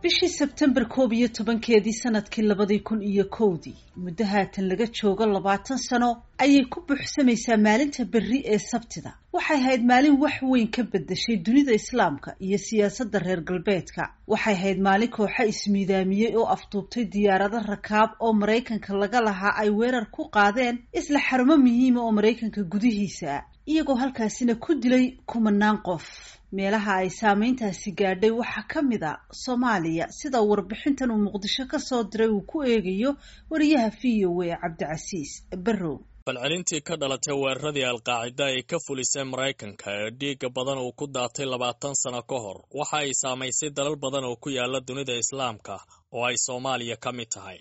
Bishii Sebtembar 11-keedii sanadkii 2001-dii, muddo haatan laga joogo 20 sano ayay ku buuxsamaysaa maalinta berri ee Sabtida. Waxay ahayd maalin wax weyn ka bedeshay dunida Islaamka iyo siyaasadda reer galbeedka. Waxay ahayd maalin kooxo ismiidaamiyey oo afduubtay diyaarado rakaab oo Maraykanka laga lahaa ay weerar ku qaadeen isla xarumo muhiima oo Maraykanka gudihiisa ah, iyagoo halkaasina ku dilay kumanaan qof. Meelaha ay saameyntaasi gaadhay waxaa ka mid a Soomaaliya, sida warbixintan uu Muqdisho ka soo diray uu ku eegayo wariyaha VOA Cabdicasiis Barrow. Falcelintii ka dhalatay weeraradii Alqaacida ay ka fulisay Maraykanka ee dhiigga badan uu ku daatay 20 sano ka hor waxa ay saamaysay dalal badan oo ku yaala dunida Islaamka oo ay Soomaaliya ka mid tahay.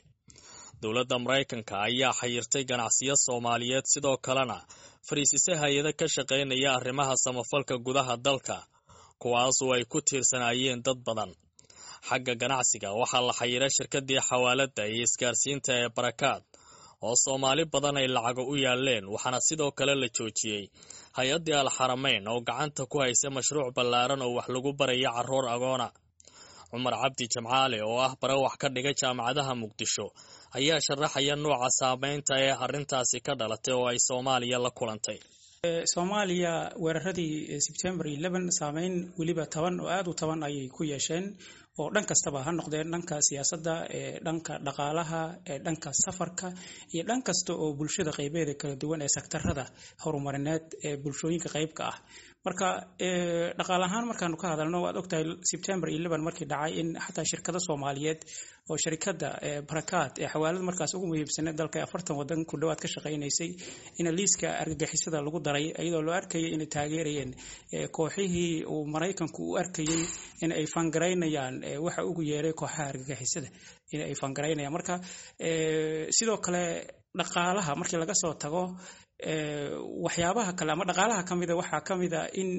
Dowladda Maraykanka ayaa xayirtay ganacsiyo Soomaaliyeed, sidoo kalena fariisisay hay-ado ka shaqaynaya arrimaha samafalka gudaha dalka, kuwaasoo ay ku tiirsanaayeen dad badan. Xagga ganacsiga, waxaa la xayiray shirkadii xawaaladda iyo isgaarsiinta ee Barakaad oo Soomaali badan ay lacago u yaaleen, waxaana sidoo kale la joojiyey hay-addii Alxarameyn oo gacanta ku haysa mashruuc ballaaran oo wax lagu baraya carruur agoona. Cumar Cabdi Jamcaale oo ah bare wax ka dhiga jaamacadaha Muqdisho ayaa sharaxaya nooca saameynta ee arrintaasi ka dhalatay oo ay Soomaaliya la kulantay. Soomaaliya weeraradii Sebtembar 11 saameyn weliba taban oo aada u taban ayay ku yeesheen, oo dhan kastaba ha noqdeen, dhanka siyaasadda, dhanka dhaqaalaha, dhanka safarka iyo dhan kasta oo bulshada qaybeeda kala duwan ee sektarada horumarineed ee bulshooyinka qaybka ah. Marka dhaqaale ahaan markaanu ka hadalno, waad ogtahay Sebtembar 11 markii dhacay in xataa shirkado Soomaaliyeed oo sharikada Barakaad ee xawaalad markaas ugu muhiimsaneed dalka, 40 wadan ku dhowaad ka shaqaynaysay, in liiska argagixisada lagu daray, iyadoo loo arkayay inay taageerayeen kooxihii uu Maraykanku u arkayay in ay fangaraynayaan waxa ugu yeeray kooxaha argagixisada in ay fangaraynayaan. Marka sidoo kale dhaqaalaha markii laga soo tago, waxyaabaha kale ama dhaqaalaha ka mida waxaa ka mida in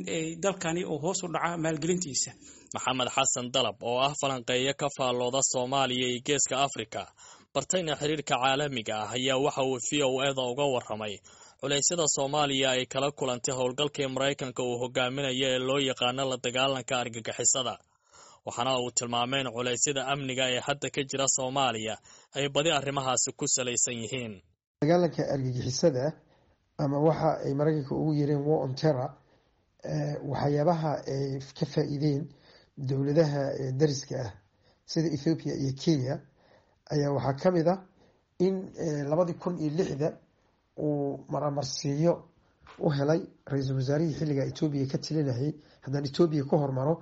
dalkani uu hoos u dhaca maalgelintiisa. Maxamed Xasan Dalab oo ah falanqeeyo ka faallooda Soomaaliya iyo Geeska Afrika, bartayna xiriirka caalamiga ah, ayaa waxa uu VOA-da uga warramay culeysyada Soomaaliya ay kala kulantay howlgalkii Maraykanka uu hogaaminayo ee loo yaqaano la dagaalanka argagixisada, waxaana uu tilmaamay in culeysyada amniga ee hadda ka jira Soomaaliya ay badi arrimahaasi ku salaysan yihiin. Dagaalanka argagixisada ama waxa ay Maraykanka ugu yeereen war on terror, waxyaabaha ay ka faa-iideen dowladaha dariska ah sida Ethiopia iyo Kenya ayaa waxaa ka mid ah in 2006-da uu maramarsiiyo u helay ra-iisul wasaarihii xilliga Ethiopia ka talinayay. Haddaan Ethiopia ka hormaro,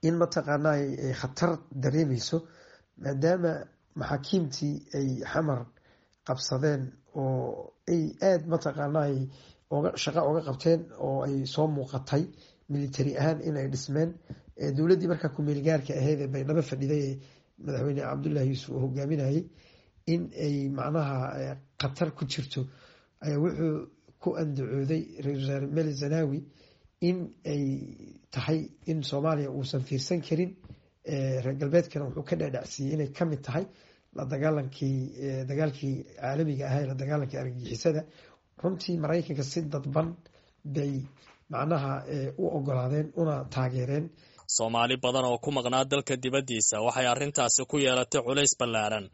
in mataqaanaa ay khatar dareemeyso maadaama maxaakiimtii ay Xamar qabsadeen oo ay aada mataqaanaa oga shaqo oga qabteen oo ay soo muuqatay military ahaan in ay dhismeen dowladdii markaa kumeel gaarka ahayd ee Baydhabo fadhiday ee madaxweyne Cabdullahi Yuusuf uu hogaaminayay, in ay macnaha khatar ku jirto ayaa wuxuu ku andacooday ra-isul wasaare Mele Zanawi in ay tahay in Soomaaliya uusan fiirsan karin. Reer galbeedkana wuxuu ka dhaadhacsiiyey inay kamid tahay la dagaalankii, dagaalkii caalamiga ahaa ee la dagaalanka argagixisada. Runtii Maraykanka si dadban bay macnaha u ogolaadeen una taageereen. Soomaali badan oo ku maqnaa dalka dibaddiisa waxay arrintaasi ku yeelatay culays ballaaran,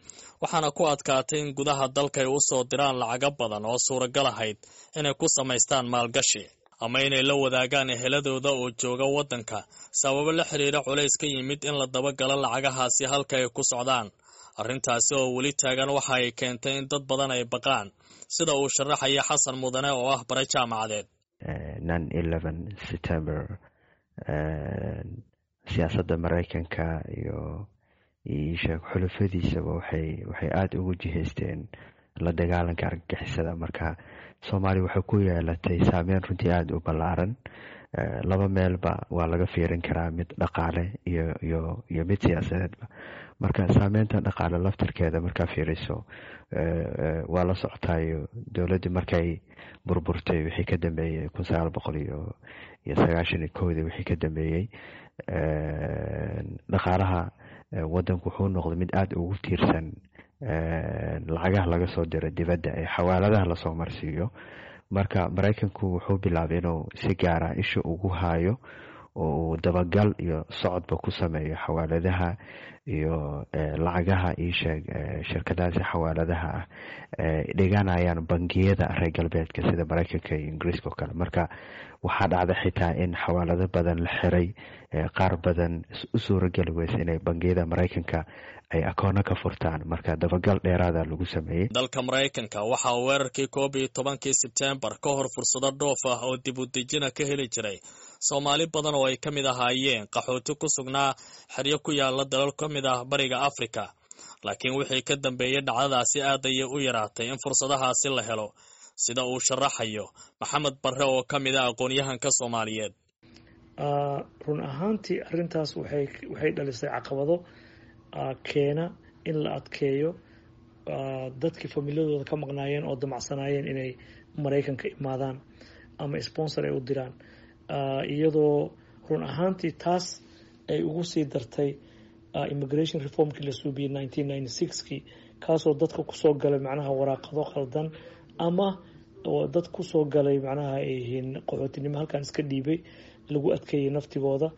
waxaana ku adkaatay in gudaha dalka ay u soo diraan lacago badan oo suuragal ahayd inay ku samaystaan maalgashi ama inay la wadaagaan eheladooda oo jooga waddanka, sababo la xiriira culays ka yimid in la dabagalo lacagahaasi halka ay ku socdaan. Arrintaasi oo weli taagan waxa ay keentay in dad badan ay baqaan, sida uu sharaxaya Xasan Mudane oo ah bare jaamacadeed. 9/11 September siyaasadda Maraykanka iyo isheeg xulufadiisaba waxay aada ugu jihaysteen la dagaalanka argagixisada. Marka Soomaaliya waxay ku yeelatay saameyn runtii aada u ballaaran. Laba meelba waa laga fiirin karaa, mid dhaqaale iyo mid siyaasadeedba. Marka saameynta dhaqaale laftirkeeda markaa fiiriso, waa la socotaayo dowladdii markay burburtay wixii ka dambeeyey 1991-dii, wixii ka dambeeyey dhaqaalaha wadanku wuxuu noqday mid aada ugu tiirsan lacagaha laga soo diro dibadda ee xawaaladaha lasoo marsiiyo. Marka Maraykanku wuxuu bilaabay inuu si gaara isha ugu haayo. oo uu dabagal iyo socodba ku sameeyo xawaaladaha iyo lacagaha iisheeg shirkadahaasi xawaaladaha ah dhiganayaan bangiyada reer galbeedka sida Mareykanka iyo Ingiriiska oo kale. Marka waxaa dhacda xitaa in xawaalado badan la xiray, qaar badan u suurageli weysa inay bangiyada Mareykanka ay akoono ka furtaan. Marka dabagal dheeraada lagu sameeyey. Dalka Maraykanka waxaa weerarkii 11-kii Sebtembar ka hor fursado dhoof ah oo dib u dejina ka heli jiray Soomaali badan oo ay ka mid ahaayeen qaxooti ku sugnaa xeryo ku yaala dalal ka mid ah Bariga Afrika. Laakiin wixii ka dambeeyey dhacdadaasi aad ayay u yaraatay in fursadahaasi la helo, sida uu sharaxayo Maxamed Barre oo ka mid ah aqoon-yahanka Soomaaliyeed. Run ahaantii arrintaas waxay dhalisay caqabado keena in la adkeeyo dadkii familadooda ka maqnaayeen oo damacsanaayeen inay Maraykanka imaadaan ama sponsor ay u diraan, iyadoo run ahaantii taas ay ugu sii dartay immigration reformkii la suubiyey 1996kii, kaasoo dadka kusoo galay macnaha waraaqado khaldan ama dad kusoo galay macnaha ay yihiin qaxootinimo halkan iska dhiibay lagu adkeeyey naftigooda.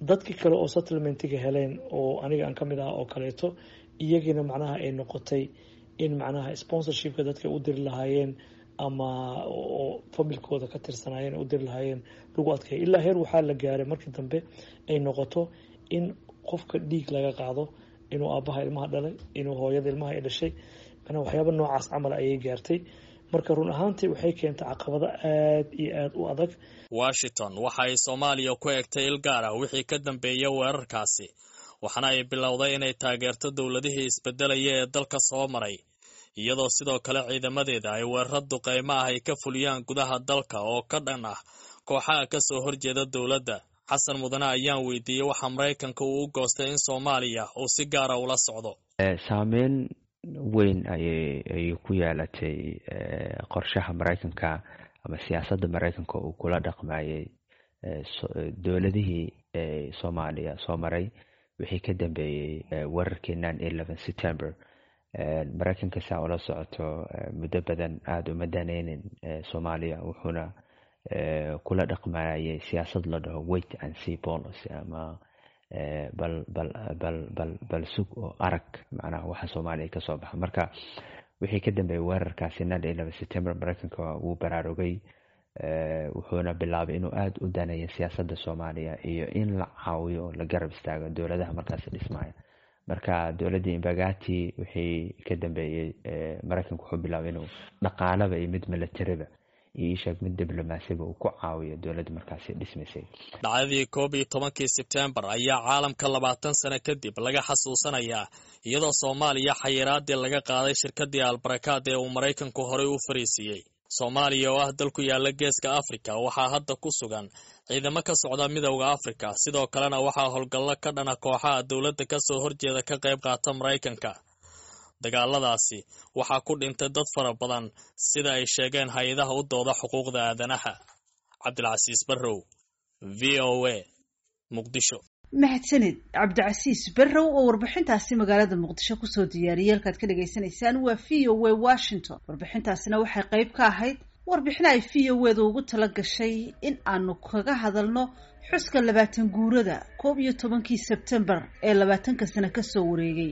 Dadkii kale oo settlementiga heleen oo aniga aan ka mid ah oo kaleeto, iyagiina macnaha ay noqotay in macnaha sponsorshipka dadka u diri lahaayeen ama oo familkooda ka tirsanaayeen u diri lahaayeen lagu adkeeyay, ilaa heer waxaa la gaaray markii dambe ay noqoto in qofka dhiig laga qaado inuu aabbaha ilmaha dhalay, inuu hooyada ilmaha ay dhashay, macnaha waxyaaba noocaas camal ayay gaartay. Marka run ahaantii waxay keentay caqabado aada iyo aada u adag. Washington waxa ay Soomaaliya ku egtay il gaar ah wixii ka dambeeyay weerarkaasi, waxaana ay bilowday inay taageerto dowladihii isbedelaya ee dalka soo maray, iyadoo sidoo kale ciidamadeeda ay weeraro duqeymo ah ay ka fuliyaan gudaha dalka oo ka dhan ah kooxaha ka soo horjeeda dowladda. Xasan Mudane ayaan weydiiyey waxa Maraykanka uu u goostay in Soomaaliya uu si gaara ula socdo. Saameyn weyn ayay ku yeelatay qorshaha Maraykanka ama siyaasadda Maraykanka uu kula dhaqmayay dowladihii Soomaaliya soo maray wixii ka dambeeyey weerarkii 9/11 September. Maraykanka, saa ula socoto, muddo badan aada uma daneynin Soomaaliya, wuxuuna kula dhaqmayay siyaasad la dhaho wait and see policy ama bal bal bal bal bal sug oo arag macnaha waxa Soomaaliya kasoo baxa. Marka wixii ka dambeeyey weerarkaasi 9/11 September, Maraykanka wuu baraarugay, wuxuuna bilaabay inuu aada u daneeyo siyaasadda Soomaaliya iyo in la caawiyo oo la garab istaago dowladaha markaasi dhismaya. Marka dowladdii Imbagati wixii ka dambeeyey, Maraykanka wuxuu bilaabay inuu dhaqaalaba iyo mid milatariba iyo isheeg mid diblomaasiba uu ku caawiyo dowladda markaasi dhismaysay. Dhacdadii 11-kii Sebtembar ayaa caalamka 20 sano kadib laga xasuusanayaa, iyadoo Soomaaliya xayiraadii laga qaaday shirkadii Albarakaad ee uu Maraykanku horey u fariisiiyey. Soomaaliya oo ah dal ku yaala Geeska Afrika waxaa hadda ku sugan ciidamo ka socda Midowda Afrika, sidoo kalena waxaa howlgallo ka dhana kooxaha dowladda kasoo horjeeda ka qayb qaata Maraykanka. Dagaaladaasi waxaa ku dhintay dad fara badan, sida ay sheegeen hay-adaha u dooda xuquuqda aadanaha. Cabdilcasiis Barrow, VOA, Muqdisho. Mahadsanid Cabdicasiis Barrow oo warbixintaasi magaalada Muqdisho kusoo diyaariyey. Halkaad ka dhagaysanaysaan waa VOA Washington. Warbixintaasina waxay qayb ka ahayd warbixin ay VOA da ugu tala gashay in aanu kaga hadalno xuska 20 guurada 11-kii Sebtembar ee 20-ka sano kasoo wareegay.